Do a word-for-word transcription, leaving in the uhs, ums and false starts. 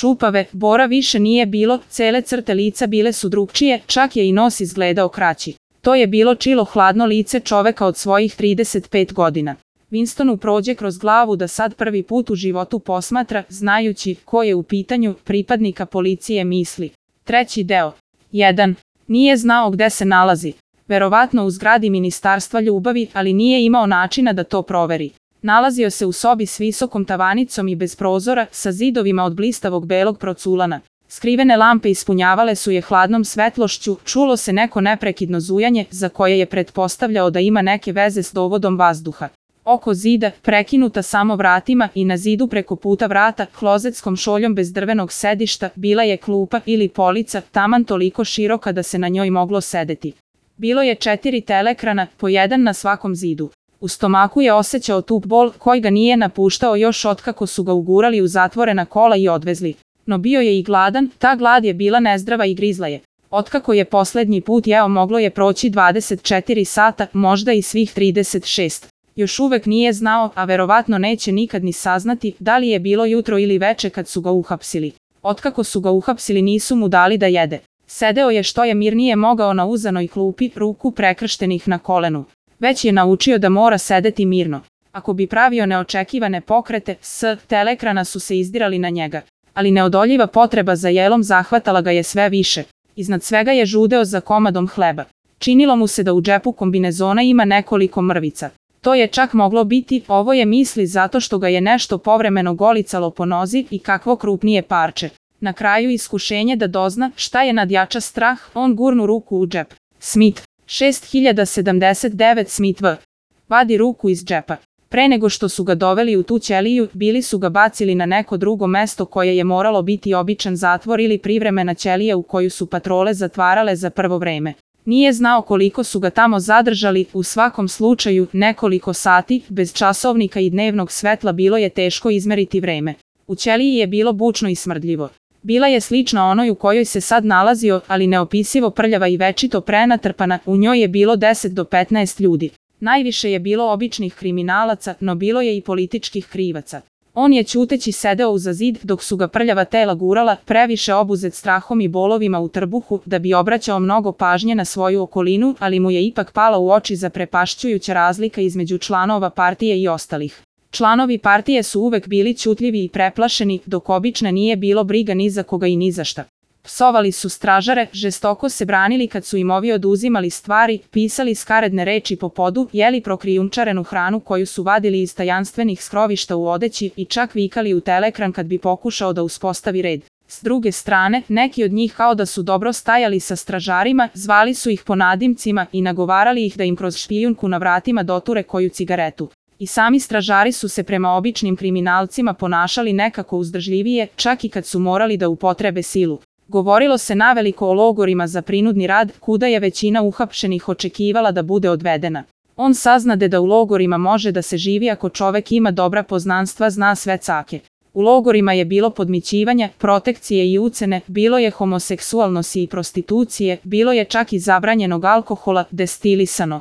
čupave, Bora više nije bilo, cele crte lica bile su drugčije, čak je i nos izgledao kraći. To je bilo čilo hladno lice čoveka od svojih trideset pet godina. Winstonu prođe kroz glavu da sad prvi put u životu posmatra, znajući ko je u pitanju, pripadnika policije misli. Treći deo. jedan. Nije znao gde se nalazi. Verovatno u zgradi Ministarstva ljubavi, ali nije imao načina da to proveri. Nalazio se u sobi s visokom tavanicom i bez prozora, sa zidovima od blistavog belog proculana. Skrivene lampe ispunjavale su je hladnom svetlošću, čulo se neko neprekidno zujanje, za koje je pretpostavljao da ima neke veze s dovodom vazduha. Oko zida, prekinuta samo vratima i na zidu preko puta vrata, klozetskom šoljom bez drvenog sedišta, bila je klupa ili polica, taman toliko široka da se na njoj moglo sedeti. Bilo je četiri telekrana, po jedan na svakom zidu. U stomaku je osjećao tup bol koji ga nije napuštao još otkako su ga ugurali u zatvorena kola i odvezli. No bio je i gladan, ta glad je bila nezdrava i grizla je. Otkako je poslednji put jeo moglo je proći dvadeset četiri sata, možda i svih trideset šest. Još uvek nije znao, a verovatno neće nikad ni saznati, da li je bilo jutro ili veče kad su ga uhapsili. Otkako su ga uhapsili nisu mu dali da jede. Sedeo je što je mirnije mogao na uzanoj klupi, ruku prekrštenih na kolenu. Već je naučio da mora sedeti mirno. Ako bi pravio neočekivane pokrete, s telekrana su se izdirali na njega. Ali neodoljiva potreba za jelom zahvatala ga je sve više. Iznad svega je žudeo za komadom hleba. Činilo mu se da u džepu kombinezona ima nekoliko mrvica. To je čak moglo biti, ovo je misli zato što ga je nešto povremeno golicalo po nozi i kakvo krupnije parče. Na kraju iskušenje da dozna šta je nadjača strah, on gurnu ruku u džep. Smith. šest hiljada sedamdeset devet Smith V. Vadi ruku iz džepa. Pre nego što su ga doveli u tu ćeliju, bili su ga bacili na neko drugo mesto koje je moralo biti običan zatvor ili privremena ćelija u koju su patrole zatvarale za prvo vreme. Nije znao koliko su ga tamo zadržali, u svakom slučaju nekoliko sati, bez časovnika i dnevnog svetla bilo je teško izmeriti vreme. U ćeliji je bilo bučno i smrdljivo. Bila je slična onoj u kojoj se sad nalazio, ali neopisivo prljava i večito prenatrpana, u njoj je bilo deset do petnaest ljudi. Najviše je bilo običnih kriminalaca, no bilo je i političkih krivaca. On je ćuteći sedeo uza zid dok su ga prljava tela gurala, previše obuzet strahom i bolovima u trbuhu, da bi obraćao mnogo pažnje na svoju okolinu, ali mu je ipak pala u oči zaprepašćujuća razlika između članova partije i ostalih. Članovi partije su uvek bili ćutljivi i preplašeni, dok obično nije bilo briga ni za koga i ni za šta. Psovali su stražare, žestoko se branili kad su im ovi oduzimali stvari, pisali skaredne reči po podu, jeli prokrijumčarenu hranu koju su vadili iz tajanstvenih skrovišta u odeći i čak vikali u telekran kad bi pokušao da uspostavi red. S druge strane, neki od njih kao da su dobro stajali sa stražarima, zvali su ih po nadimcima i nagovarali ih da im kroz špijunku na vratima doture koju cigaretu. I sami stražari su se prema običnim kriminalcima ponašali nekako uzdržljivije, čak i kad su morali da upotrebe silu. Govorilo se naveliko o logorima za prinudni rad, kuda je većina uhapšenih očekivala da bude odvedena. On saznade da u logorima može da se živi ako čovek ima dobra poznanstva, zna sve cake. U logorima je bilo podmićivanja, protekcije i ucene, bilo je homoseksualnosti i prostitucije, bilo je čak i zabranjenog alkohola, destilisano.